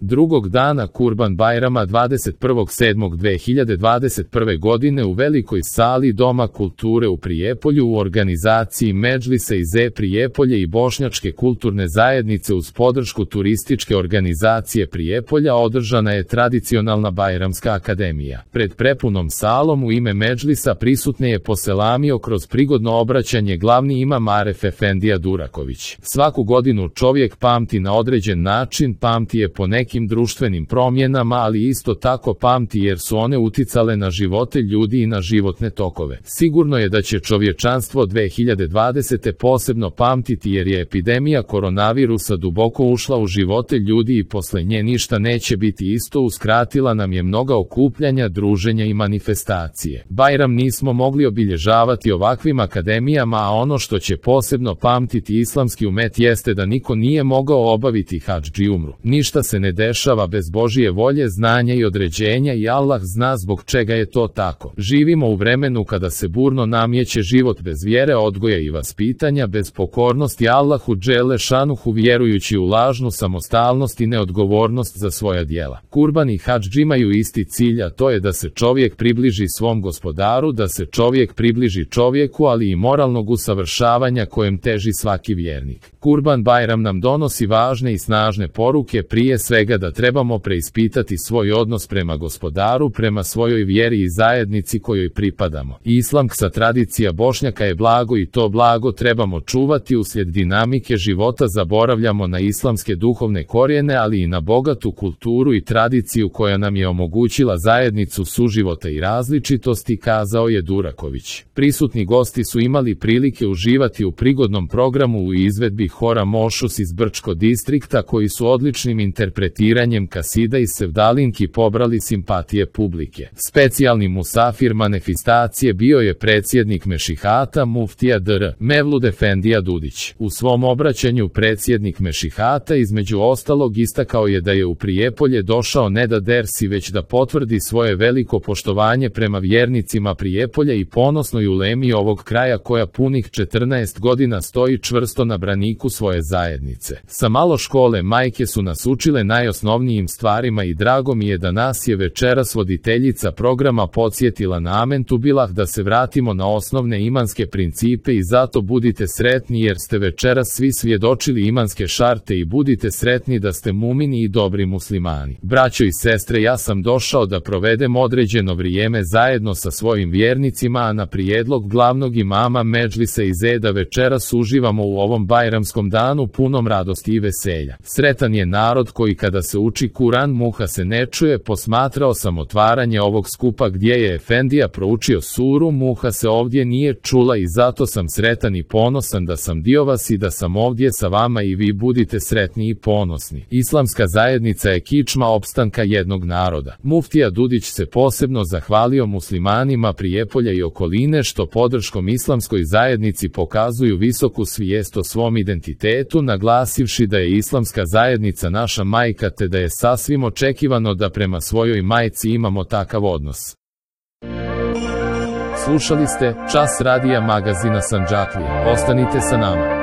Drugog dana Kurban Bajrama 21.7.2021. godine u velikoj sali Doma kulture u Prijepolju u organizaciji Medžlisa iz Prijepolje i Bošnjačke kulturne zajednice uz podršku turističke organizacije Prijepolja održana je tradicionalna Bajramska akademija. Pred prepunom salom u ime Medžlisa prisutne je poselamio kroz prigodno obraćanje glavni imam Aref Efendija Duraković. Svaku godinu čovjek pamti na određen način, pamti je po nekim društvenim promjenama, ali isto tako pamti jer su one uticale na živote ljudi i na životne tokove. Sigurno je da će čovječanstvo 2020. posebno pamtiti jer je epidemija koronavirusa duboko ušla u živote ljudi i posle nje ništa neće biti isto, uskratila nam je mnoga okupljanja, druženja i manifestacije. Bajram nismo mogli obilježavati ovakvim akademijama, a ono što će posebno pamtiti islamski umet jeste da niko nije mogao obaviti hadž i umru. Ništa se ne dešava bez Božije volje, znanja i određenja i Allah zna zbog čega je to tako. Živimo u vremenu kada se burno namjeće život bez vjere, odgoja i vaspitanja, bez pokornosti Allahu Dželešanuhu, vjerujući u lažnu samostalnost i neodgovornost za svoja djela. Kurban i hadž imaju isti cilj, a to je da se čovjek približi svom gospodaru, da se čovjek približi čovjeku, ali i moralnog usavršavanja kojem teži svaki vjernik. Kurban Bajram nam donosi važne i snažne poruke, prije svega da trebamo preispitati svoj odnos prema gospodaru, prema svojoj vjeri i zajednici kojoj pripadamo. Islamska tradicija Bošnjaka je blago i to blago trebamo čuvati. Uslijed dinamike života zaboravljamo na islamske duhovne korijene, ali i na bogatu kulturu i tradiciju koja nam je omogućila zajednicu suživota i različitosti, kazao je Duraković. Prisutni gosti su imali prilike uživati u prigodnom programu u izvedbi hora Mošus iz Brčko distrikta, koji su odličnim interpretiranjem kasida i sevdalinki pobrali simpatije publike. Specijalni musafir manifestacije bio je predsjednik Mešihata muftija dr. Mevlud Efendija Dudić. U svom obraćanju predsjednik Mešihata između ostalog istakao je da je u Prijepolje došao ne da dersi, već da potvrdi svoje veliko poštovanje prema vjernicima Prijepolja i ponosnoj ulemi ovog kraja koja punih 14 godina stoji čvrsto na braniku svoje zajednice. Sa malo škole majke su nas učile najosnovnijim stvarima i drago mi je da nas je večeras voditeljica programa podsjetila na Amentu Bilah, da se vratimo na osnovne imanske principe i zato budite sretni jer ste večeras svi svjedočili imanske šarte i budite sretni da ste mumini i dobri muslimani. Braćo i sestre, ja sam došao da provedem određeno vrijeme zajedno sa svojim vjernicima, a na prijedlog glavnog imama Medžlisa iz da večeras uživamo u ovom bajramskom danu punom radosti i veselja. Sretan je narod koji kada se uči Kuran muha se ne čuje. Posmatrao sam otvaranje ovog skupa gdje je Efendija proučio suru, muha se ovdje nije čula i zato sam sretan i ponosan da sam dio vas i da sam ovdje sa vama i vi budite sretni i ponosni. Islamska zajednica je kičma opstanka jednog naroda. Muftija Dudić se posebno zahvalio muslimanima Prijepolja i okoline što podrškom islamskoj zajednici pokazuju visoku svijest o svom identitetu, naglasivši da je islamska zajednica naša majka te da je sasvim očekivano da prema svojoj majci imamo takav odnos. Slušali ste Čas radija magazina Sandžaklije. Ostanite sa nama.